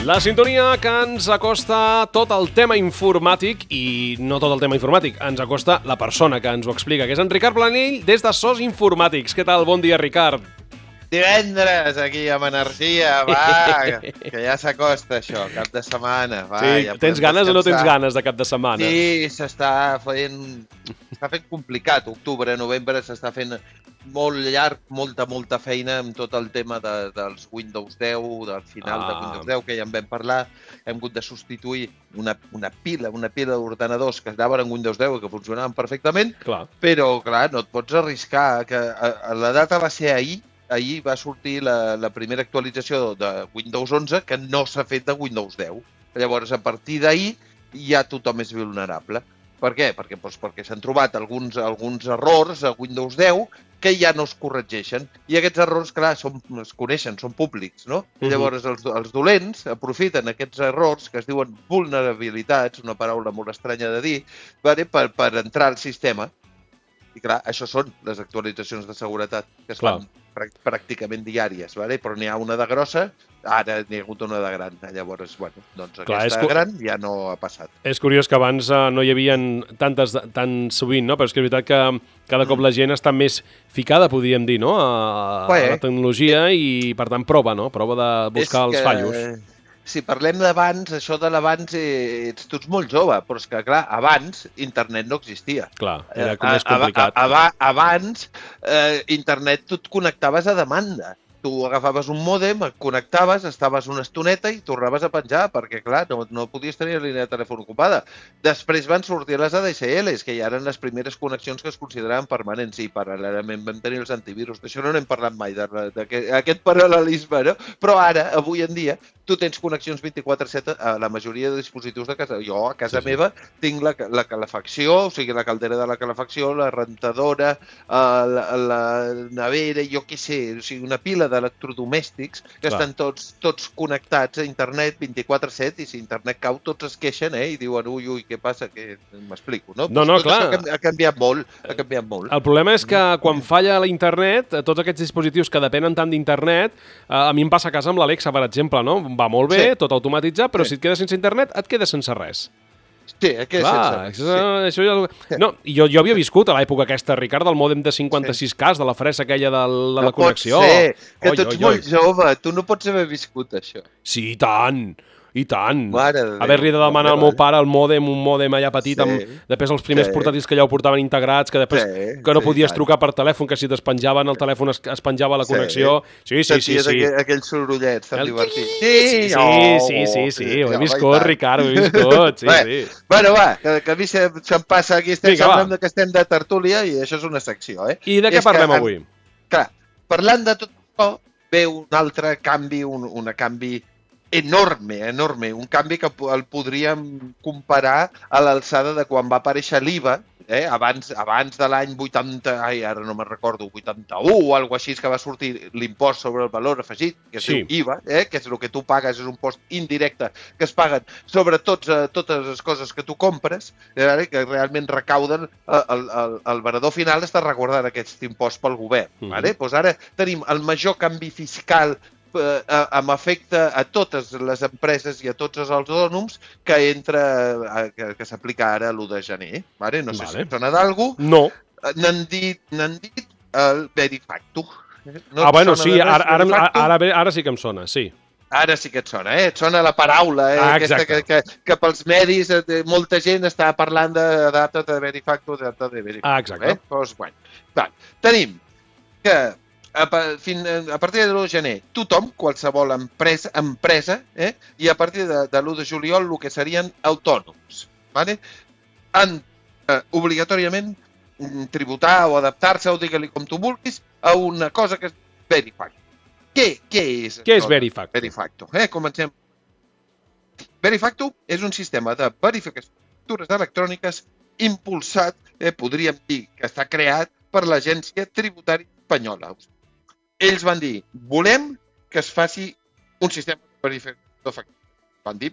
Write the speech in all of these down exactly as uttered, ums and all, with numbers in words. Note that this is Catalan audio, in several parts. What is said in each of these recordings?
La sintonia que ens acosta tot el tema informàtic i no tot el tema informàtic, ens acosta la persona que ens ho explica, que és en Ricard Planell des de Sos Informàtics. Què tal? Bon dia, Ricard. Divendres, aquí amb energia, va, que ja s'acosta això, cap de setmana. Va, sí, ja tens ganes descansar. o no tens ganes de cap de setmana? Sí, s'està fent, s'està fent complicat. Octubre, novembre s'està fent molt llarg, molta, molta feina amb tot el tema de, dels Windows deu, del final ah. de Windows deu, que ja en vam parlar. Hem hagut de substituir una, una pila, una pila d'ordenadors que anaven en Windows deu i que funcionaven perfectament, clar. Però, clar, no et pots arriscar. Que a, a la data va ser ahir, ahir va sortir la, la primera actualització de Windows onze que no s'ha fet de Windows deu. Llavors, a partir d'ahir, ja tothom és vulnerable. Per què? Perquè, doncs, perquè s'han trobat alguns, alguns errors a Windows deu que ja no es corregeixen. I aquests errors, clar, són, es coneixen, són públics, no? I llavors els, els dolents aprofiten aquests errors, que es diuen vulnerabilitats, una paraula molt estranya de dir, per, per entrar al sistema. I clar, això són les actualitzacions de seguretat, que es fan pràcticament diàries, vale? Però n'hi ha una de grossa, ara n'hi ha hagut una de gran. Llavors, bueno, doncs clar, aquesta cu... gran ja no ha passat. És curiós que abans uh, no hi havia tantes tan sovint, no? Però és que és veritat que cada cop la gent està més ficada, podríem dir, no? A, a la tecnologia i, per tant, prova, no? Prova de buscar els fallos. Si parlem d'abans, això de l'abans, eh, ets tu ets molt jove, però és que, clar, abans internet no existia. Clar, era com més complicat. A, a, a, abans, eh, internet tu et connectaves a demanda. Tu agafaves un mòdem, et connectaves, estaves una estoneta i tornaves a penjar, perquè, clar, no, no podies tenir la línia de telèfon ocupada. Després van sortir les A D S Ls, que ja eren les primeres connexions que es consideraven permanents, i paral·lelament vam tenir els antivirus. D'això no n'hem parlat mai, d'aquest paral·lelisme, no? Però ara, avui en dia, tu tens connexions vint-i-quatre set a la majoria de dispositius de casa. Jo, a casa sí, sí. meva, tinc la, la calefacció, o sigui, la caldera de la calefacció, la rentadora, la, la nevera, jo què sé, o sigui, una pila d'electrodomèstics que clar. Estan tots, tots connectats a internet vint-i-quatre set i si internet cau tots es queixen eh, i diuen ui, ui, què passa? Que m'explico, no? No, no, tot clar. Ha canviat molt, ha canviat molt. El problema és que quan falla l'internet, tots aquests dispositius que depenen tant d'internet, a mi em passa a casa amb l'Alexa, per exemple, no? Va molt bé, sí. tot automatitzat, però sí. si et quedes sense internet, et quedes sense res. Sí, et quedes clar, sense res. Això, sí. això ja... No, jo, jo havia viscut a l'època aquesta, Ricard, del mòdem de cinquanta-sis K, de la fressa aquella de, de no la connexió. No pot ser, que oi, tu ets oi, molt oi. jove, tu no pots haver viscut això. Sí, i tant! I tant. De haver-li de demanar al meu pare el mòdem, un mòdem allà petit, sí. amb, després els primers sí. portàtils que ja ho portaven integrats, que després sí. que no podies sí, trucar per telèfon, que si despenjaven el telèfon es, es penjava la connexió. Sí, sí, sí. sí, sí. Aquell, aquells sorollets tan divertits. Sí, sí, sí, oh, sí, sí, sí, sí. ho he viscut, Ricard, ho he viscut. Sí, sí. Bueno, va, que, que a mi se'm passa aquí, estem parlant que estem de tertúlia i això és una secció. Eh? I de què parlem avui? Clar, parlant de tot això, ve un altre canvi, un, un canvi enorme, enorme, un canvi que el podríem comparar a l'alçada de quan va aparèixer l'I V A, eh? abans, abans de l'any vuitanta, ai, ara no me'n recordo, vuitanta-u o alguna així, que va sortir l'impost sobre el valor afegit, que es sí. diu I V A, eh? que és el que tu pagues, és un impost indirecte que es paguen sobre tots, eh, totes les coses que tu compres, eh? que realment recauden, eh, el, el, el venedor final està recordant aquest impost pel govern. Mm. Vale? Pues ara tenim el major canvi fiscal amb efecte a totes les empreses i a tots els autònoms que entra, que, que s'aplica ara l'u de gener. Vale? No sé vale. si sona d'algú. No. N'han dit, n'han dit el Verifacto. No ah, bueno, sí, ara, ara, ara, ara, ara sí que em sona, sí. Ara sí que et sona, eh? Et sona la paraula, eh? Ah, aquesta que, que, que pels medis molta gent està parlant de data de Verifacto, de data de Verifacto. Ah, exacte. Eh? Pues, bueno. Va, tenim que A, fin, a partir de l'u de gener, tothom, qualsevol empresa, empresa eh, i a partir de, de l'u de juliol el que serien autònoms, ¿vale? han eh, obligatòriament tributar o adaptar-se, o digue-li com tu vulguis, a una cosa que és Verifacto. Què, què és? Què és Verifacto? Verifacto. Eh? Comencem. Verifacto és un sistema de verificació de factures electròniques impulsat, eh, podríem dir que està creat per l'Agència Tributària Espanyola. Ells van dir, volem que es faci un sistema de verificació de factures. Van dir,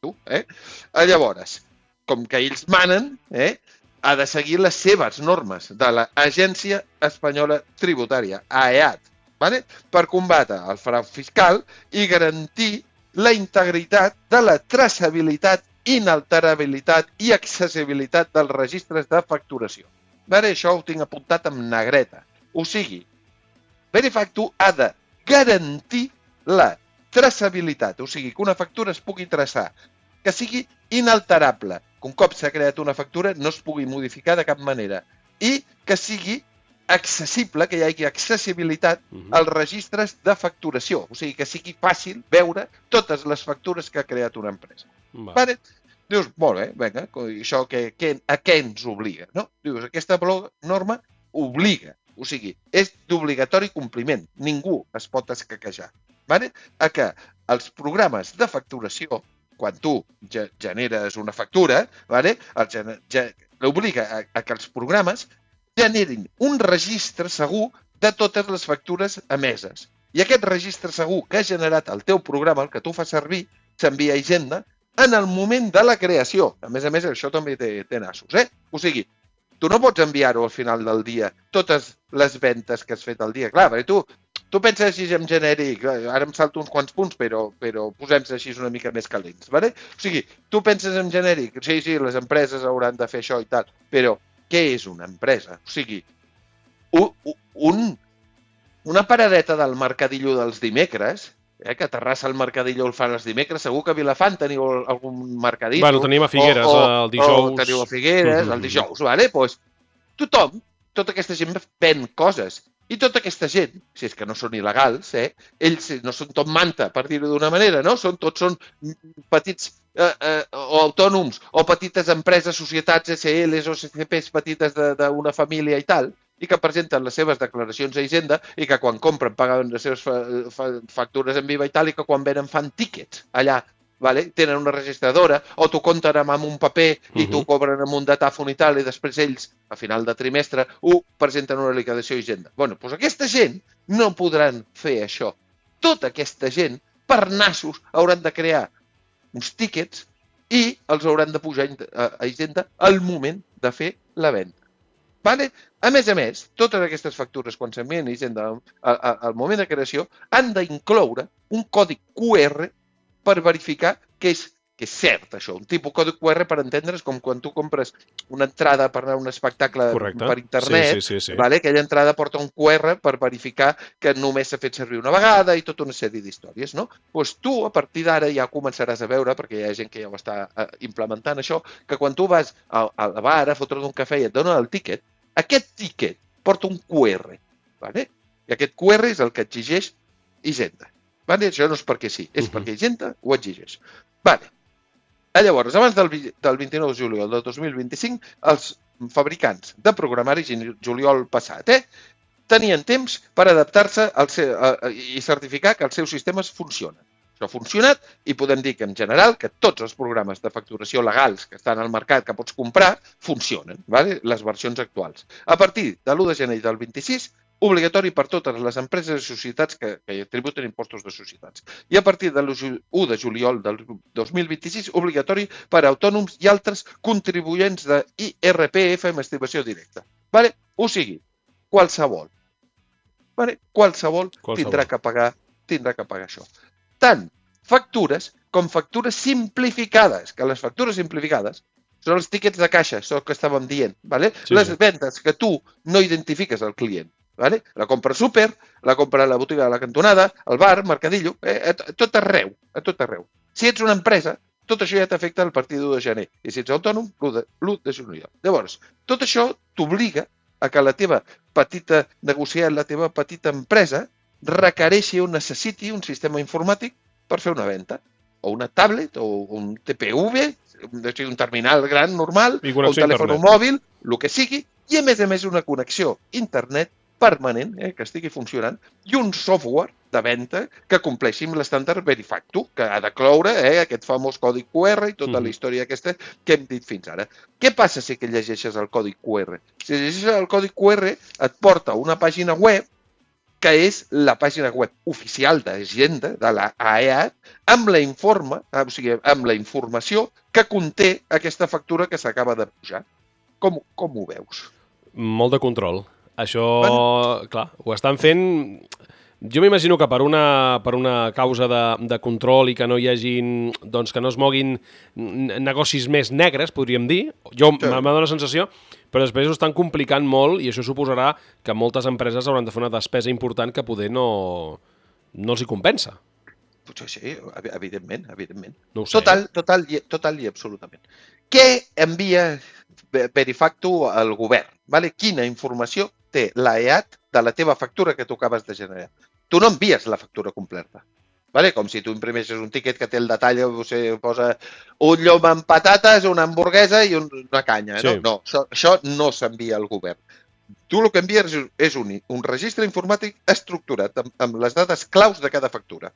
tu, eh? Llavors, com que ells manen, eh, ha de seguir les seves normes de l'Agència Espanyola Tributària, A E A T, ¿vale? Per combatre el frau fiscal i garantir la integritat de la traçabilitat, inalterabilitat i accessibilitat dels registres de facturació. Vale? Això ho tinc apuntat amb negreta. O sigui, Verifactu ha de garantir la traçabilitat, o sigui, que una factura es pugui traçar, que sigui inalterable, que un cop s'ha creat una factura no es pugui modificar de cap manera, i que sigui accessible, que hi hagi accessibilitat als registres de facturació, o sigui, que sigui fàcil veure totes les factures que ha creat una empresa. Va. Vale? Dius, molt bé, vinga, això que, que, a què ens obliga? No? Dius, aquesta norma obliga, o sigui, és d'obligatori compliment, ningú es pot escaquejar, vale? A que els programes de facturació, quan tu generes una factura, vale? L'obliga a, a que els programes generin un registre segur de totes les factures emeses. I aquest registre segur que ha generat el teu programa, el que tu fas servir, s'envia a Hisenda en el moment de la creació. A més a més, això també té, té nassos, eh? O sigui, tu no pots enviar-ho al final del dia, totes les ventes que has fet al dia. Clar, perquè tu, tu penses així en genèric, ara em salto uns quants punts, però, però posem-se així una mica més calents, ¿vale? O sigui, tu penses en genèric, sí, sí, les empreses hauran de fer això i tal, però què és una empresa? O sigui, un, un, una paradeta del mercadillo dels dimecres, eh, que a Terrassa el mercadillo el fan els dimecres, segur que a Vilafant teniu algun mercadillo. Bueno, tenim a Figueres o, o, el dijous. O teniu a Figueres el dijous, vale? Pues, tothom, tota aquesta gent ven coses. I tota aquesta gent, si és que no són il·legals, eh, ells no són tot manta, per dir-ho d'una manera, no? Són, tots són petits eh, eh, o autònoms o petites empreses, societats, S Ls o C C Ps petites d'una família i tal, i que presenten les seves declaracions a Hisenda i que quan compren paguen les seves fa fa factures en viva i tal, i que quan venen fan tíquets allà, vale? Tenen una registradora o t'ho compten amb un paper i t'ho cobren amb un datàfon i tal, i després ells, a final de trimestre, ho presenten una liquidació a Hisenda. Bueno, doncs aquesta gent no podran fer això. Tota aquesta gent, per nassos, hauran de crear uns tíquets i els hauran de pujar a Hisenda al moment de fer la venda. Vale? A més a més, totes aquestes factures, quan s'envien a Hisenda al moment de creació, han d'incloure un codi Q R per verificar que és, que és cert això. Un tipus codi Q R, per entendre's, com quan tu compres una entrada per anar a un espectacle Correcte. Per internet, sí, sí, sí, sí. Vale? Aquella entrada porta un Q R per verificar que només s'ha fet servir una vegada i tota una sèrie d'històries, no? Doncs tu, a partir d'ara, ja començaràs a veure, perquè hi ha gent que ja ho està implementant això, que quan tu vas al bar a fotre't un cafè i et donen el tíquet, aquest tíquet porta un Q R, vale? I aquest Q R és el que exigeix Hisenda. Vale? Això no és perquè sí, és uh-huh. perquè Hisenda ho exigeix. Vale. Llavors, abans del, del vint-i-nou de juliol del dos mil vint-i-cinc, els fabricants de programari, juliol passat, eh, tenien temps per adaptar-se i certificar que els seus sistemes funcionen. Això ha funcionat i podem dir que, en general, que tots els programes de facturació legals que estan al mercat que pots comprar funcionen, vale? Les versions actuals. A partir de l'u de gener del vint-i-sis, obligatori per totes les empreses i societats que, que tributen impostos de societats. I a partir de l'u de juliol del dos mil vint-i-sis, obligatori per a autònoms i altres contribuents de I R P F amb estimació directa. Vale? O sigui, qualsevol. Vale? Qualsevol, qualsevol. Tindrà que pagar, tindrà que pagar això. Tant factures com factures simplificades, que les factures simplificades són els tíquets de caixa, això que estàvem dient, vale? Sí, les sí. vendes que tu no identifiques al client. Vale? La compra súper, la compra a la botiga de la cantonada, al bar, mercadillo, eh, a tot arreu, a tot arreu. Si ets una empresa, tot això ja t'afecta a partir de l'u de gener. I si ets autònom, l'u de juliol. Llavors, tot això t'obliga a que la teva petita negociant, la teva petita empresa, requereixi o necessiti un sistema informàtic per fer una venda. O una tablet, o un T P V, un terminal gran normal, o un telèfon mòbil, el que sigui, i a més a més una connexió internet permanent, eh, que estigui funcionant, i un software de venda que compleixi amb l'estàndard Verifactu, que ha de cloure eh, aquest famós codi Q R i tota mm. la història aquesta que hem dit fins ara. Què passa si que llegeixes el codi Q R? Si llegeixes el codi Q R et porta a una pàgina web que és la pàgina web oficial d'Hisenda, de la A E A, amb la, informa, o sigui, amb la informació que conté aquesta factura que s'acaba de pujar. Com, com ho veus? Molt de control. Això, bueno. clar, ho estan fent Jo m'imagino que per una, per una causa de, de control i que no hi hagin, doncs que no es moguin negocis més negres, podríem dir, jo sí. m'ha donat la sensació, però després ho estan complicant molt i això suposarà que moltes empreses hauran de fer una despesa important que poder no, no els hi compensa. Potser sí, evidentment, evidentment. No ho sé. Total, total, total i absolutament. Què envia Verifactu al govern? Vale? Quina informació té l'A E A T de la teva factura que tu acabes de generar? Tu no envies la factura completa. Vale? Com si tu imprimeixes un tiquet que té el detall, o sigui, posa un llom amb patates, una hamburguesa i una canya. Sí. No, no això, això no s'envia al govern. Tu el que envies és un, un registre informàtic estructurat amb, amb les dades claus de cada factura.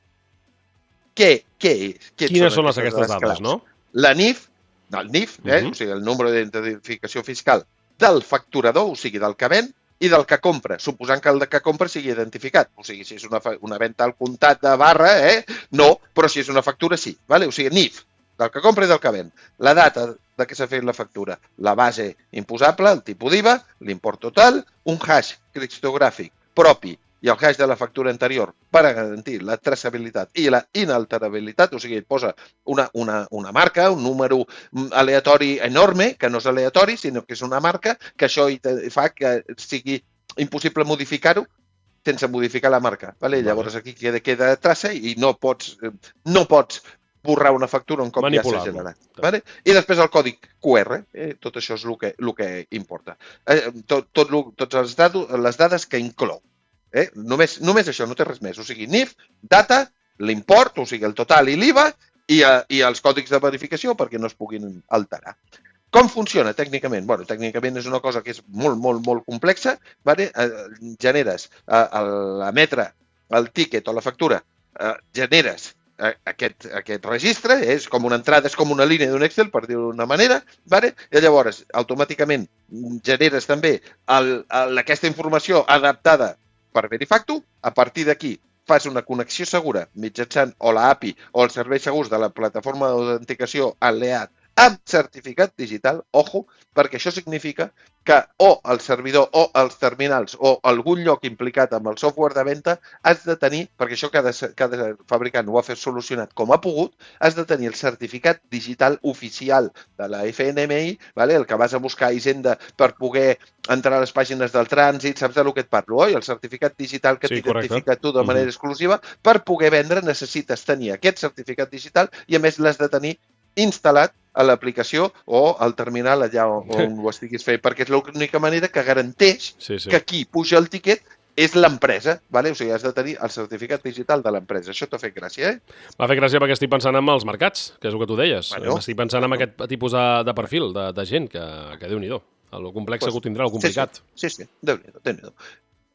Què, què és? Què Quines són, són les aquestes dades, claus? No? La N I F, el N I F, eh? uh -huh. o sigui, el número d'identificació fiscal del facturador, o sigui, del que ven, i del que compra, suposant que el que compra sigui identificat. O sigui, si és una, una venda al comptat de barra, eh? no, però si és una factura, sí. Vale? O sigui, N I F, del que compra i del que ven. La data de què s'ha fet la factura, la base imposable, el tipus d'I V A, l'import total, un hash criptogràfic propi i el hash de la factura anterior per a garantir la traçabilitat i la inalterabilitat, o sigui, et posa una, una, una marca, un número aleatori enorme, que no és aleatori, sinó que és una marca, que això fa que sigui impossible modificar-ho sense modificar la marca. Vale? Llavors aquí queda, queda traça i no pots, no pots borrar una factura un cop ja s'ha generat. Vale? I després el codi Q R, eh? tot això és el que, el que importa. Eh, tot, tot, tots els dades, les dades que inclou. Eh? Només, només això, no té res més. O sigui, N I F, data, l'import, o sigui, el total i l'I V A, i, i els còdics de verificació perquè no es puguin alterar. Com funciona tècnicament? Bueno, tècnicament és una cosa que és molt, molt, molt complexa. Vale? Eh, generes, eh, a l'emetre el tíquet o la factura, eh, generes eh, aquest, aquest registre, eh? és com una entrada, és com una línia d'un Excel, per dir-ho d'una manera, vale? I llavors automàticament generes també el, el, aquesta informació adaptada per Verifactu. A partir d'aquí fas una connexió segura mitjançant o la A P I o els serveis segurs de la plataforma d'autenticació a l'E A T amb certificat digital, ojo, perquè això significa que o el servidor o els terminals o algun lloc implicat amb el software de venda has de tenir, perquè això cada, cada fabricant ho ha fet solucionat com ha pogut, has de tenir el certificat digital oficial de la F N M I, vale? El que vas a buscar a Hisenda per poder entrar a les pàgines del trànsit, saps del que et parlo, oi? El certificat digital que sí, t'identifica tu de manera uh-huh. exclusiva, per poder vendre necessites tenir aquest certificat digital i a més l'has de tenir instal·lat a l'aplicació o al terminal allà on ho estiguis fent, perquè és l'única manera que garanteix sí, sí. que qui puja el tiquet és l'empresa, vale? O sigui, has de tenir el certificat digital de l'empresa. Això t'ha fet gràcia, eh? M'ha fet gràcia perquè estic pensant en els mercats, que és el que tu deies. Bueno, estic pensant bueno. en aquest tipus de, de perfil, de, de gent, que, que Déu-n'hi-do. El complex pues, que ho tindrà, el complicat. Sí, sí, sí. Déu-n'hi-do, Déu-n'hi-do.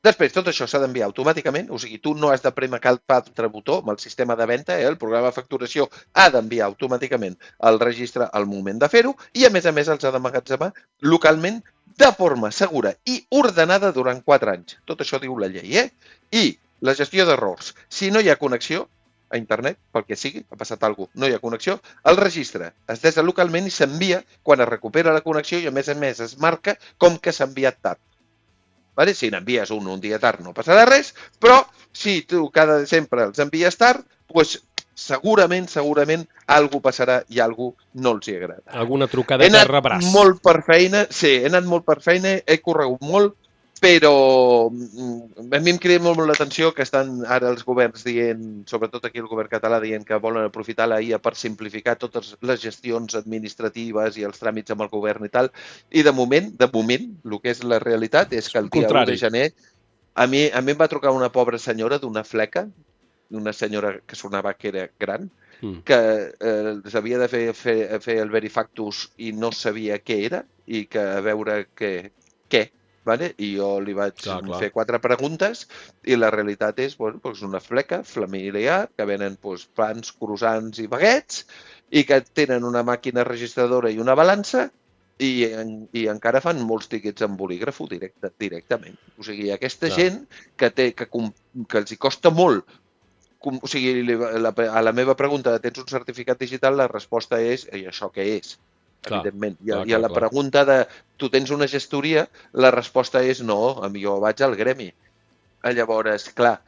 Després, tot això s'ha d'enviar automàticament, o sigui, tu no has de prémer cap altre botó amb el sistema de venda, eh? El programa de facturació ha d'enviar automàticament el registre al moment de fer-ho i, a més a més, els ha d'emmagatzemar localment de forma segura i ordenada durant quatre anys. Tot això diu la llei, eh? I la gestió d'errors. Si no hi ha connexió a internet, pel que sigui, ha passat alguna cosa, no hi ha connexió, el registre es desa localment i s'envia quan es recupera la connexió i, a més a més, es marca com que s'ha enviat tard. Vale? Si n'envies un un dia tard no passarà res, però si tu cada sempre els envies tard, doncs segurament, segurament, alguna passarà i alguna no els hi agrada. Alguna trucadeta rebràs. He anat molt per feina, sí, he anat molt per feina, he corregut molt, però a mi em crida molt l'atenció que estan ara els governs dient, sobretot aquí el govern català, dient que volen aprofitar la I A per simplificar totes les gestions administratives i els tràmits amb el govern i tal. I de moment, de moment, el que és la realitat és que el dia u de gener a mi, a mi em va trucar una pobra senyora d'una fleca, una senyora que sonava que era gran, mm. que eh, s'havia de fer, fer, fer el Verifactus i no sabia què era i que a veure què, què Vale? I jo li vaig clar, clar. fer quatre preguntes i la realitat és bueno, doncs una fleca familiar que venen doncs, pans, croissants i baguets i que tenen una màquina registradora i una balança i, i encara fan molts tiquets amb bolígrafo directe, directament. O sigui, aquesta clar. gent que, té, que, que els hi costa molt, o sigui, la, a la meva pregunta, tens un certificat digital, la resposta és, i això què és? Clar, evidentment. I, clar, I a la clar, pregunta de tu tens una gestoria, la resposta és no, jo vaig al gremi. Llavors, clar,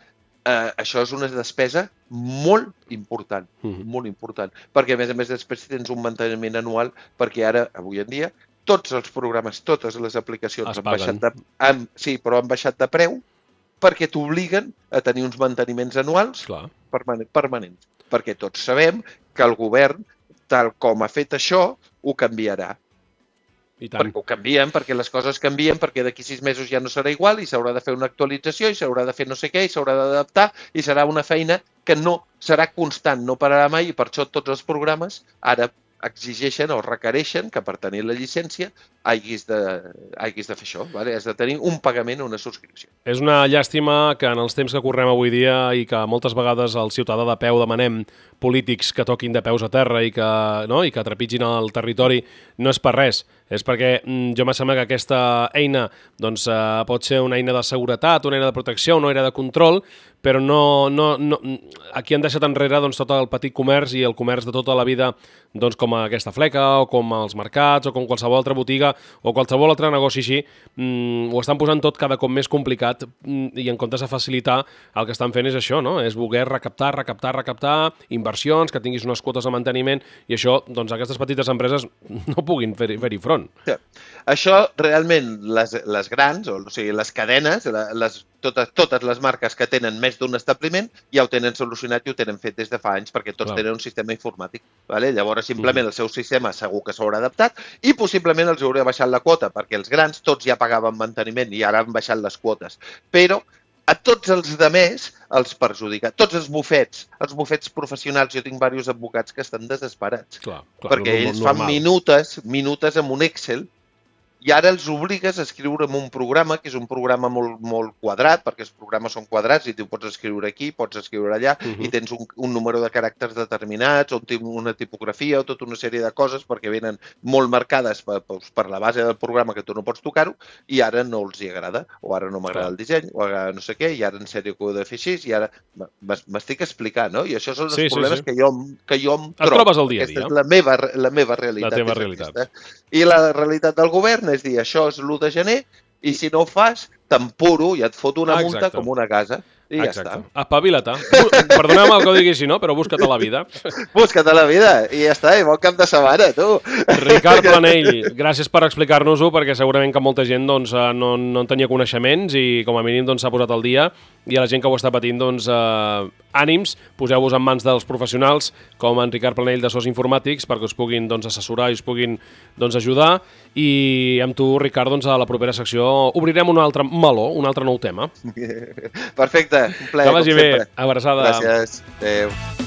eh, això és una despesa molt important, mm-hmm. molt important, perquè a més a més després tens un manteniment anual, perquè ara, avui en dia, tots els programes, totes les aplicacions han baixat, de, han, sí, però han baixat de preu perquè t'obliguen a tenir uns manteniments anuals permanent, permanents, perquè tots sabem que el govern, tal com ha fet això, ho canviarà. I tant. Perquè ho canvien, perquè les coses canvien, perquè d'aquí sis mesos ja no serà igual i s'haurà de fer una actualització i s'haurà de fer no sé què i s'haurà d'adaptar i serà una feina que no serà constant, no pararà mai, i per això tots els programes ara exigeixen o requereixen que per tenir la llicència hagis de, hagis de fer això, vale? Has de tenir un pagament o una subscripció. És una llàstima que en els temps que correm avui dia i que moltes vegades al ciutadà de peu demanem polítics que toquin de peus a terra i que, no? I que trepitgin el territori, no és per res. És perquè jo me sembla que aquesta eina doncs, eh, pot ser una eina de seguretat, una eina de protecció, una eina de control, però no, no, no, aquí han deixat enrere doncs, tot el petit comerç i el comerç de tota la vida, doncs, com aquesta fleca o com els mercats o com qualsevol altra botiga o qualsevol altre negoci així, mm, ho estan posant tot cada cop més complicat mm, i en comptes de facilitar el que estan fent és això, no? És voler recaptar, recaptar, recaptar, inversions, que tinguis unes quotes de manteniment i això, doncs aquestes petites empreses no puguin fer-hi fer front. Sí. Això realment les, les grans, o, o sigui, les cadenes, les, totes, totes les marques que tenen més d'un establiment ja ho tenen solucionat i ho tenen fet des de fa anys perquè tots Clar. Tenen un sistema informàtic. Vale? Llavors, simplement mm. el seu sistema segur que s'haurà adaptat i possiblement els haurà baixat la quota perquè els grans tots ja pagaven manteniment i ara han baixat les quotes. Però a tots els demés els perjudica. Tots els bufets, els bufets professionals, jo tinc diversos advocats que estan desesperats. Clar, clar, perquè ells normal. Fan minutes, minutes amb un Excel i ara els obligues a escriure en un programa, que és un programa molt, molt quadrat, perquè els programes són quadrats i tu pots escriure aquí, pots escriure allà, uh-huh. i tens un, un número de caràcters determinats, o una tipografia, o tota una sèrie de coses, perquè venen molt marcades per, per la base del programa que tu no pots tocar-ho, i ara no els hi agrada, o ara no m'agrada el disseny, o ara no sé què, i ara en sèrio que ho he de fer així, i ara m'estic explicant, no? I això són els sí, problemes sí, sí. Que, jo, que jo em trobo. Et trobes al dia a dia. Aquesta és la meva, la meva realitat. La teva realitat. I la realitat del govern és dir, això és l'u de gener i si no ho fas, t'empuro i et foto una multa Exacte. Com una casa. I Exacte. Ja està. Espavila't. Perdona'm el que ho digui així, no? Però busca't a la vida. Busca't a la vida i ja està, i bon cap de setmana, tu. Ricard Planell, gràcies per explicar-nos-ho, perquè segurament que molta gent doncs, no, no en tenia coneixements i com a mínim doncs, s'ha posat al dia, i a la gent que ho està patint, doncs, eh, ànims, poseu-vos en mans dels professionals com en Ricard Planell de Sos Informàtics perquè us puguin doncs, assessorar i us puguin doncs, ajudar, i amb tu, Ricard, doncs, a la propera secció obrirem un altre meló, un altre nou tema. Perfecte, un plaer, que vagi bé, abraçada. Gràcies, adéu.